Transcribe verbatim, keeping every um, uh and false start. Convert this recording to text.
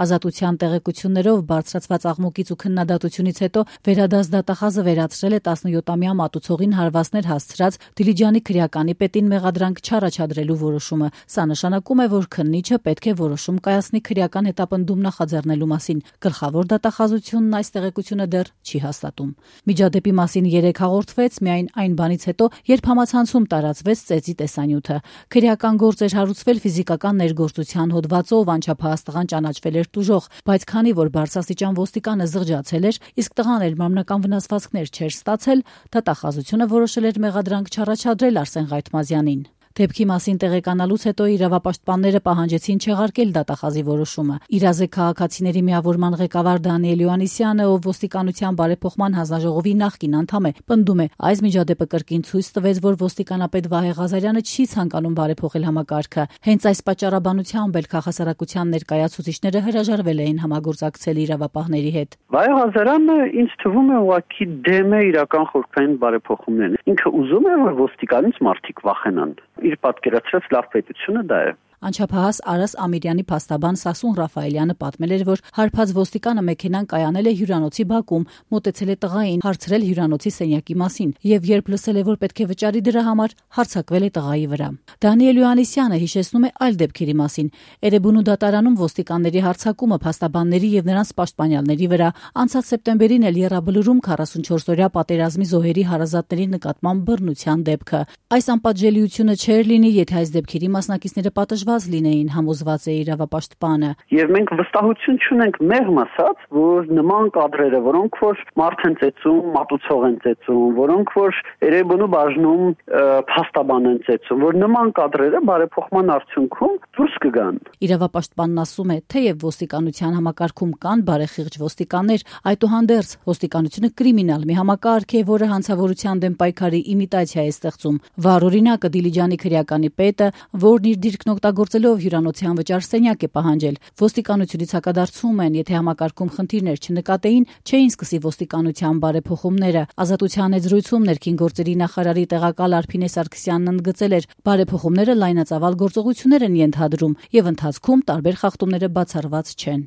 Ազատության տեղեկություններով բարձրացված աղմուկից ու քննադատությունից հետո վերադաս դատախազը վերացրել է տասնյոթամյա մատուցողին հարվածներ հասցրած Դիլիջանի քրեականի պետին մեղադրանք չառաջադրելու որոշումը։ Սա նշանակում է, որ քննիչը պետք է որոշում կայացնի քրեական հետապնդում նախաձեռնելու մասին։ Գլխավոր դատախազությունն այս տեղեկությունը դեռ չի հաստատում։ Միջադեպի մասին երեկ հաղորդվեց միայն այն բանից հետո, երբ համացանցում տարածվեց ծեծի տեսանյութը։ Քրեական գործ էր հարուցվել ֆիզիկական ներգործության հոդվածով, անչափահաս տղան ճանաչվել էր տուժող, բայց քանի որ բարձրաստիճան ոստիկանը զղջացել էր, իսկ տղան էլ մարմնական վնասվածքներ չէր ստացել, դատախազությունը որոշել էր մեղադրանք չառաջադրել Արսեն Ղայթմազյանին։ Դեպքի մասին տեղեկանալուց հետո իրավապաշտպանները պահանջեցին չեղարկել դատախազի որոշումը։ Իրազեկ քաղաքացիների միավորման ղեկավար Դանիել Հովհաննիսյանը, ով ոստիկանության բարեփոխման հանձնաժողովի նախկին անդամ է, պնդում է, այս միջադեպը կրկին ցույց տվեց, որ ոստիկանապետ Վահե Ղազարյանը չի ցանկանում բարեփոխել համակարգը։ Հենց այս պատճառաբանությամբ էլ քաղաքասարակության ներկայացուցիչները հրաժարվել էին համագործակցել իրավապահների հետ։ Վահե Ղազարյանը ինձ թվում է ուղղակի դեմ է իրական խորհրդային բարեփոխումներին։ Ինքը ուզում է, որ ոստիկանից մարդիկ վախենան։ Իր պատկերացրած լավ պետությունը դա է։ Անչափահաս Արաս Ամիրյանի փաստաբան Սասուն Ռաֆայելյանը պատմել էր, որ հարբած ոստիկանը մեքենան կայանել է հյուրանոցի բակում, մոտեցել է տղային, հարցրել հյուրանոցի սենյակի մասին եւ երբ լսել է, որ պետք է վճարի դրա համար, հարձակվել է տղայի վրա։ Դանիել Հովհաննիսյանը հիշեցնում է այլ դեպքերի մասին։ Էրեբունու դատարանում ոստիկանների հարձակումը փաստաբանների եւ նրանց պաշտպանյալների վրա, անցած սեպտեմբերին էլ Եռաբլուրում քառասունչորսօրյա պատերազմի զոհերի հարազատների նկատմամբ բռնության դեպքը։ Այս անպատժելիությունը չէր լինի, եթե այս դեպքերի մասնակիցները պատժված լինեին, համոզված է իրավապաշտպանը։ Եվ մենք վստահություն չունենք մեղմ ասած, որ նման կադրերը, որոնք որ մարդ են ծեծում, մատուցող են ծեծում, որոնք որ Էրեբունու բաժնում փաստաբան են ծեծում, որ նման կադրերը բարեփոխման արդյունքում դուրս կգան։ Իրավապաշտպանն ասում է, թեև ոստիկանության համակարգում կան բարեխիղճ ոստիկաններ, այդուհանդերձ ոստիկանությունը կրիմինալ մի համակարգ է, որը հանցավորության դեմ պայքարի իմիտացիա է ստեղծում։ Վառ օրինակը Դիլիջանի քրեականի պետը, որն իր դիրքն օգտագործելով հյուրանոցի անվճար սենյակ է պահանջել։ Ոստիկանությունից հակադարձում են, եթե համակարգում խնդիրներ չնկատեին, չէին սկսի ոստիկանության բարեփոխումները։ Ազատության հետ զրույցում ներքին գործերի նախարարի տեղակալ Արփինե Սարգսյանն ընդգծել էր, բարեփոխումները լայնածավալ գործողություններ են ենթադրում եւ ընթացքում տարբեր խախտումները բացառված չեն։